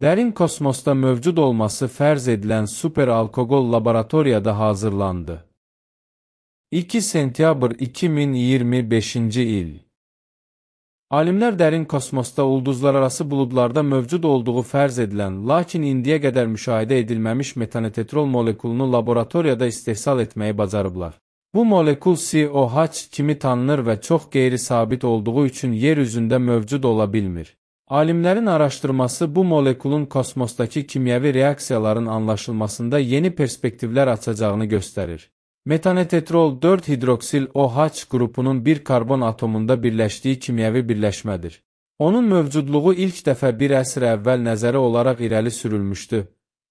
Dərin kosmosda mövcud olması fərz edilən superalkoqol laboratoriyada hazırlandı. 2 sentyabr 2025-ci il. Alimlər dərin kosmosda ulduzlararası buludlarda mövcud olduğu fərz edilən, lakin indiyə qədər müşahidə edilməmiş metanetetrol molekulunu laboratoriyada istehsal etməyi bacarıblar. Bu molekul COH kimi tanınır və çox qeyri-sabit olduğu üçün yer üzündə mövcud ola bilmir. Alimlərin araşdırması bu molekulun kosmosdakı kimyəvi reaksiyaların anlaşılmasında yeni perspektivlər açacağını göstərir. Metanetetrol 4-hidroksil OH qrupunun bir karbon atomunda birləşdiyi kimyəvi birləşmədir. Onun mövcudluğu ilk dəfə bir əsr əvvəl nəzəri olaraq irəli sürülmüşdü,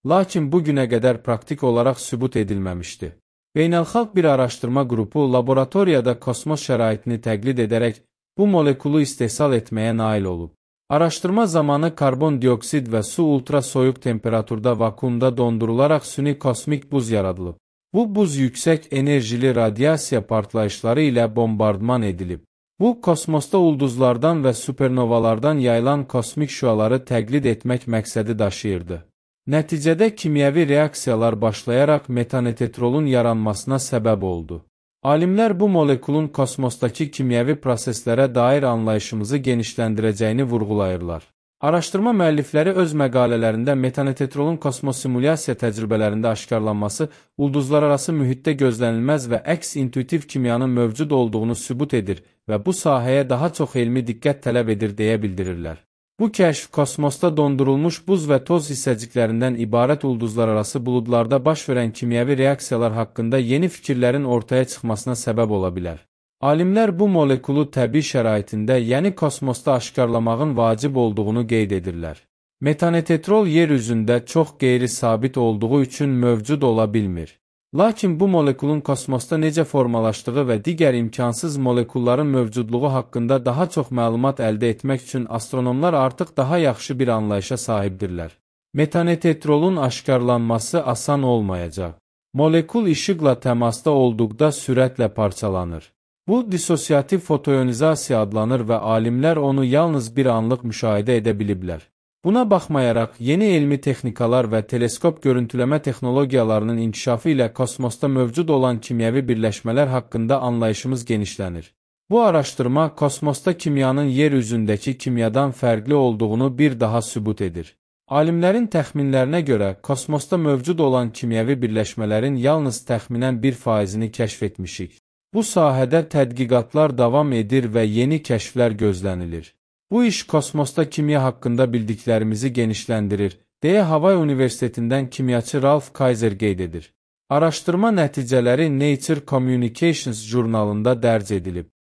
lakin bu günə qədər praktik olaraq sübut edilməmişdi. Beynəlxalq bir araşdırma qrupu laboratoriyada kosmos şəraitini təqlid edərək bu molekulu istehsal etməyə nail olub. Araşdırma zamanı karbon dioksid və su ultrasoyuq temperaturda vakuumda dondurularaq süni kosmik buz yaradılıb. Bu buz yüksək enerjili radiasiya partlayışları ilə bombardman edilib. Bu, kosmosda ulduzlardan və supernovalardan yayılan kosmik şüaları təqlid etmək məqsədi daşıyırdı. Nəticədə kimyəvi reaksiyalar başlayaraq metanetetrolun yaranmasına səbəb oldu. Alimlər bu molekulun kosmosdakı kimyəvi proseslərə dair anlayışımızı genişləndirəcəyini vurğulayırlar. Araşdırma müəllifləri öz məqalələrində metanetetrolun kosmosimulyasiya təcrübələrində aşkarlanması, ulduzlararası mühitdə gözlənilməz və əks-intuitiv kimyanın mövcud olduğunu sübut edir və bu sahəyə daha çox elmi diqqət tələb edir deyə bildirirlər. Bu kəşf, kosmosda dondurulmuş buz və toz hissəciklərindən ibarət ulduzlararası buludlarda baş verən kimyəvi reaksiyalar haqqında yeni fikirlərin ortaya çıxmasına səbəb ola bilər. Alimlər bu molekulu təbii şəraitində, yəni kosmosda aşkarlamağın vacib olduğunu qeyd edirlər. Metanetetrol yer üzündə çox qeyri-sabit olduğu üçün mövcud ola bilmir. Lakin bu molekulun kosmosda necə formalaşdığı və digər imkansız molekulların mövcudluğu haqqında daha çox məlumat əldə etmək üçün astronomlar artıq daha yaxşı bir anlayışa sahibdirlər. Metanetetrolun aşkarlanması asan olmayacaq. Molekul işıqla təmasda olduqda sürətlə parçalanır. Bu, disosiyativ fotoionizasiya adlanır və alimlər onu yalnız bir anlıq müşahidə edə biliblər. Buna baxmayaraq, yeni elmi texnikalar və teleskop görüntüləmə texnologiyalarının inkişafı ilə kosmosda mövcud olan kimyəvi birləşmələr haqqında anlayışımız genişlənir. Bu araşdırma, kosmosda kimyanın yer üzündəki kimyadan fərqli olduğunu bir daha sübut edir. Alimlərin təxminlərinə görə, kosmosda mövcud olan kimyəvi birləşmələrin yalnız təxminən 1%-ni kəşf etmişik. Bu sahədə tədqiqatlar davam edir və yeni kəşflər gözlənilir. Bu iş kosmosda kimya haqqında bildiklərimizi genişləndirir, deyə Havay Universitetindən kimyaçı Ralph Kaiser qeyd edir. Araşdırma nəticələri Nature Communications jurnalında dərc edilib.